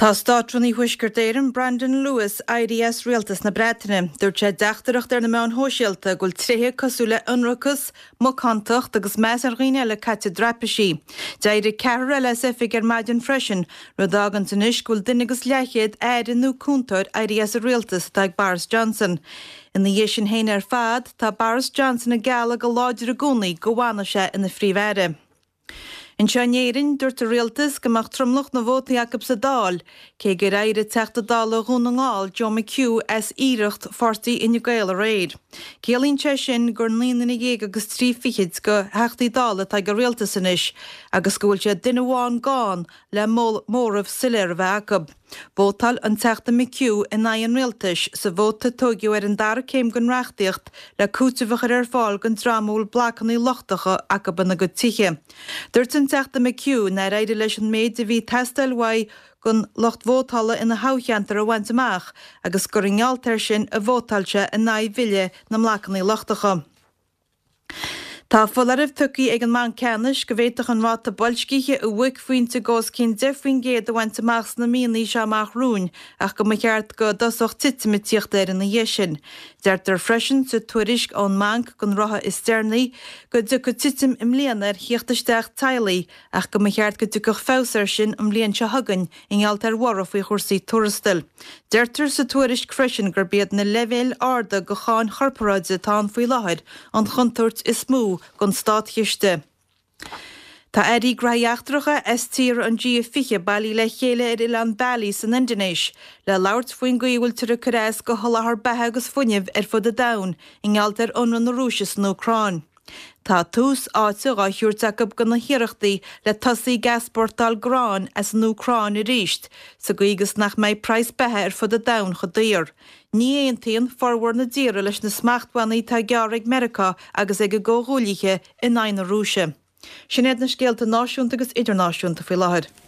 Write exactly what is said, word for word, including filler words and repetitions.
Tá Státrúnaí Thuaisceart Éireann Brandon Lewis éirithe as rialtas na Breataine. Dúirt sé i dteachtaireacht ar na meáin shóisialta go bhfuil tréithe cosúil le ionracas, macántacht agus meas ar dhaoine eile caite i dtraipisí. D'éirigh ceathrar eile as oifig ar maidin freisin, rud a fháganns anois go bhfuil duine agus leathchéad aire nó cúntóir éirithe as an rialtas atá ag Boris Johnson. Ina dhiaidh sin féin ar fad, tá Boris Johnson ag gealladh go láidir i gcónaí go bhfanfaidh sé ina phríomh-aire. Anseo in Éirinn, dúirt an rialtas go mbeadh tromlach na vótaí acu sa Dáil, cé gur éirigh Teachta Dála Dhún na nGall Joe McHugh as iarracht pháirtí Fhine Gael aréir. Ciallaíonn sé sin gur naoi nduine dhéag agus trí fichid de Theachtaí Dála atá ag an rialtas anois agus go bhfuil sé duine amháin gann le móramh soiléir a bheith acu. Vótáil an Teachta McHugh in aghaidh an rialtais sa vóta a tógadh ar an dara céim den reachtaíocht le cúiteamh a chur ar fáil don dream a bhfuil blocanna lochtacha acu ina gcuid tithe. Dúirt an Teachta McHugh nár éirigh leis an méid a bhí ag teastáil uaidh den lucht vótála ina thoghcheantar a bhaint amach agus gur i ngeall air sin a vótáil sé in aghaidh bhille na mblocanna lochtacha. Tá foláireamh tugtha ag an mBanc Ceannais go bhféadfadh an ráta boilscithe a bhuaicphointe de os cionn deich faoin gcéad a bhaint amach sna míonna seo amach romhainn ach go mba cheart go dtosódh titim ag tíocht air ina dhiaidh sin. Deirtear freisin sa tuairisc ón mbanc don ráithe is deireanaí go dtiocfaidh titim i mbliana ar thíocht isteach teaghlaigh ach go mba cheart go dtiocfadh feabhas air sin an bhliain seo chugainn i ngeall ar bhorradh faoi chúrsaí tuarastail. Deirtear sa tuairisc freisin gurb iad na leibhéil arda de cháin chorparáide atá ann faoi láthair an chontúirt is mó don státchiste. Tá airí gnóthaí eachtracha as tíortha an G fiche bailithe le chéile ar oileán Bali san Indinéis le labhairt faoin gcaoi a bhfuiltear ag cur as do sholáthar beatha agus fuinnimh ar fud an domhain i ngeall ar ionradh na Rúise san Úcráin. Tá tús áite á thabhairt acu do na hiarrachtaí le tosaí ag easpórtáil gráin as an Úcráin arís, sa gcaoi agus nach mbeidh praghas beatha ar fud an domhain chomh daor. Ní aontaíonn formhór na dtíortha leis na smachtbhannaí atá á gceapadh ag Meiriceá agus ag a gcomhghuaillithe in aghaidh na Rúise. Sin iad na scéalta náisiúnta agus idirnáisiúnta faoi láthair.